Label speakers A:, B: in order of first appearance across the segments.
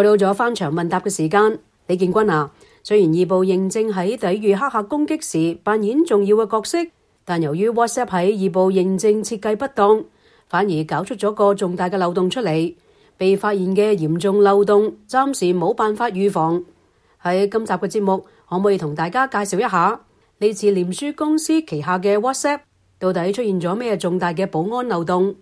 A: 又到咗翻牆問答嘅時間，李建軍啊，雖然二步認證喺抵禦黑客攻擊時扮演重要嘅角色，但由於 WhatsApp 喺二步認證設計不當，反而搞出咗個重大嘅漏洞出嚟。被發現嘅嚴重漏洞，暫時冇辦法預防。喺今集嘅節目，可唔可以同大家介紹一下呢次臉書公司旗下嘅 WhatsApp 到底出現咗咩重大嘅保安漏洞？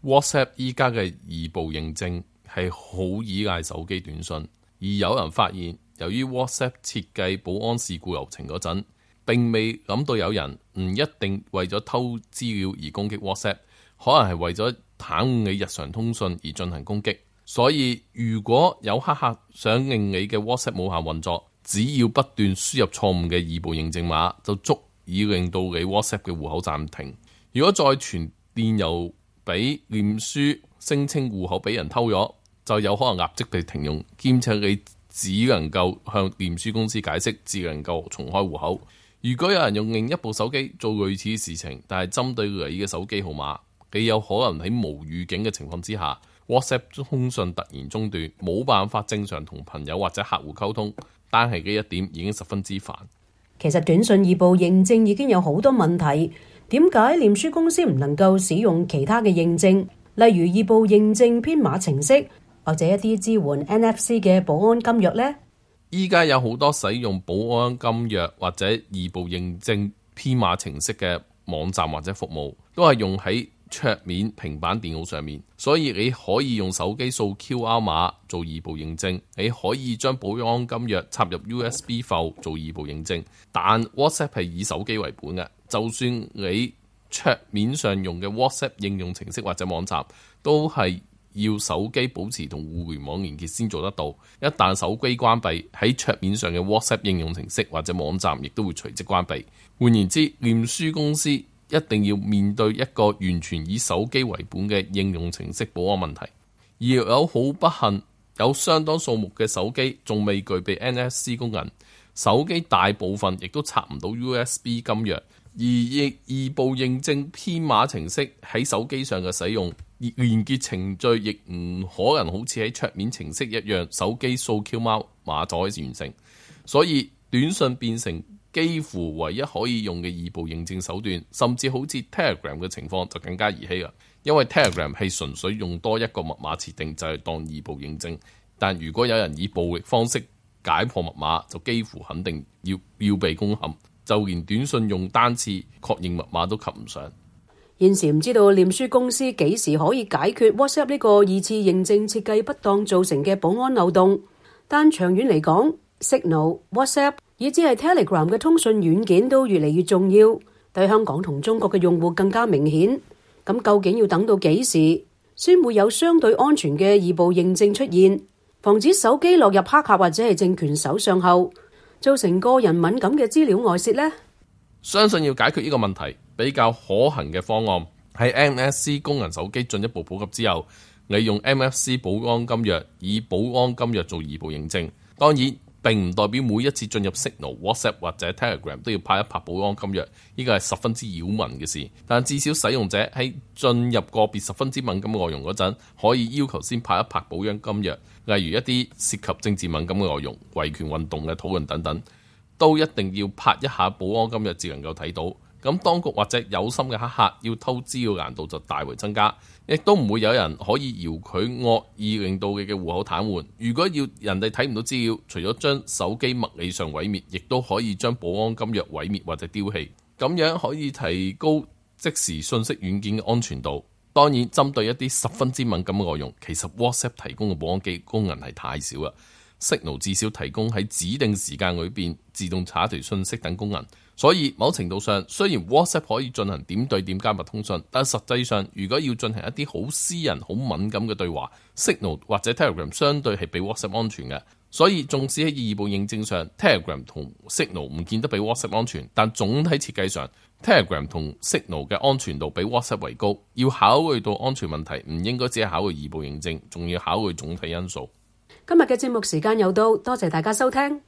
B: WhatsApp 依家嘅二步認證係好依賴手機短信，而有人發現，由於 WhatsApp 設計保安事故流程嗰陣，並未諗到有人唔一定為咗偷資料而攻擊 WhatsApp， 可能係為咗袒護你日常通訊而進行攻擊。所以如果有黑客想令你嘅 WhatsApp 無效運作，只要不斷輸入錯誤嘅二步認證碼，就足以令到你 WhatsApp 嘅戶口暫停。如果再傳電郵俾臉書聲稱戶口俾人偷咗，就有可能立即被停用，兼且你只能夠向臉書公司解釋，只能夠重開戶口。如果有人用另一部手機做類似嘅事情，但係針對你嘅手機號碼，你有可能喺無預警嘅情況之下， WhatsApp 通訊突然中斷，冇辦法正常同朋友或者客戶溝通，單係呢一點已經十分之煩。
A: 其實短信二步認證已經有好多問題，點解臉書公司唔能夠使用其他嘅認證，例如二步認證編碼程式，或者一啲支援 NFC 嘅保安金鑰呢？
B: 依家有好多使用保安金鑰或者二步認證編碼程式嘅網站或者服務，都係用喺桌面平板電腦上面，所以你可以用手機掃 QR 碼做二步認證，你可以將保安金鑰插入 USB 埠做二步認證。但 WhatsApp 係以手機為本嘅，就算你桌面上用嘅 WhatsApp 應用程式或者網站，都係要手機保持同互聯網連結先做得到。一旦手機關閉，喺桌面上嘅 WhatsApp 應用程式或者網站亦都會隨即關閉。換言之，臉書公司一定要面對一個完全以手機為本嘅應用程式保安問題，而有好不幸，有相當數目嘅手機仲未具備 NFC 功能，手機大部分亦都插唔到 USB 金鑰，而二步認證編碼程式喺手機上嘅使用，連結程序亦唔可能好似喺桌面程式一樣，手機掃 QR 碼就可以完成，所以短信變成幾乎唯一可以用嘅二步認證手段，甚至好似 Telegram 嘅情況就更加兒戲啦。因為 Telegram 係純粹用多一個密碼設定就係當二步認證，但如果有人以暴力方式解破密碼，就幾乎肯定要被攻陷，就連短信用單次確認密碼都及唔上。
A: 現時唔知道臉書公司幾時可以解決 WhatsApp 呢個二次認證設計不當造成嘅保安漏洞，但長遠嚟講，Signal、WhatsApp以至係 Telegram 嘅通訊軟件都越嚟越重要，對香港同中國嘅用戶更加明顯。咁究竟要等到幾時先會有相對安全嘅二步認證出現，防止手機落入黑客或者係政權手上後，造成個人敏感嘅資料外泄呢？
B: 相信要解決呢個問題，比較可行嘅方案喺 NFC 功能手機進一步普及之後，利用 MFC 保安金鑰，以保安金鑰做二步認證。當然並唔代表每一次進入 Signal、WhatsApp 或者 Telegram 都要拍一拍保安金鑰，呢個係十分之擾民嘅事。但至少使用者喺進入個別十分之敏感嘅內容嗰陣，可以要求先拍一拍保安金鑰，例如一啲涉及政治敏感嘅內容、維權運動嘅討論等等，都一定要拍一下保安金鑰至能夠睇到。咁當局或者有心嘅黑客要偷資料難度就大為增加，亦都唔會有人可以遙距惡意令到你嘅戶口癱瘓。如果要人哋睇唔到資料，除咗將手機物理上毀滅，亦都可以將保安金鑰毀滅或者丟棄，咁樣可以提高即時信息軟件嘅安全度。當然，針對一啲十分之敏感嘅內容，其實 WhatsApp 提供嘅保安機功能係太少啦。Signal 至少提供喺指定時間裏邊自動查一條信息等功能，所以某程度上雖然 WhatsApp 可以進行點對點加密通訊，但實際上如果要進行一啲好私人好敏感嘅對話， Signal 或者 Telegram 相對係比 WhatsApp 安全嘅。所以縱使喺二步認證上 Telegram 同 Signal 唔見得比 WhatsApp 安全，但總體設計上 Telegram 同 Signal 嘅安全度比 WhatsApp 為高。要考慮到安全問題，唔應該只係考慮二步認證，仲要考慮總體因素。
A: 今日嘅節目時間又到，多謝大家收聽。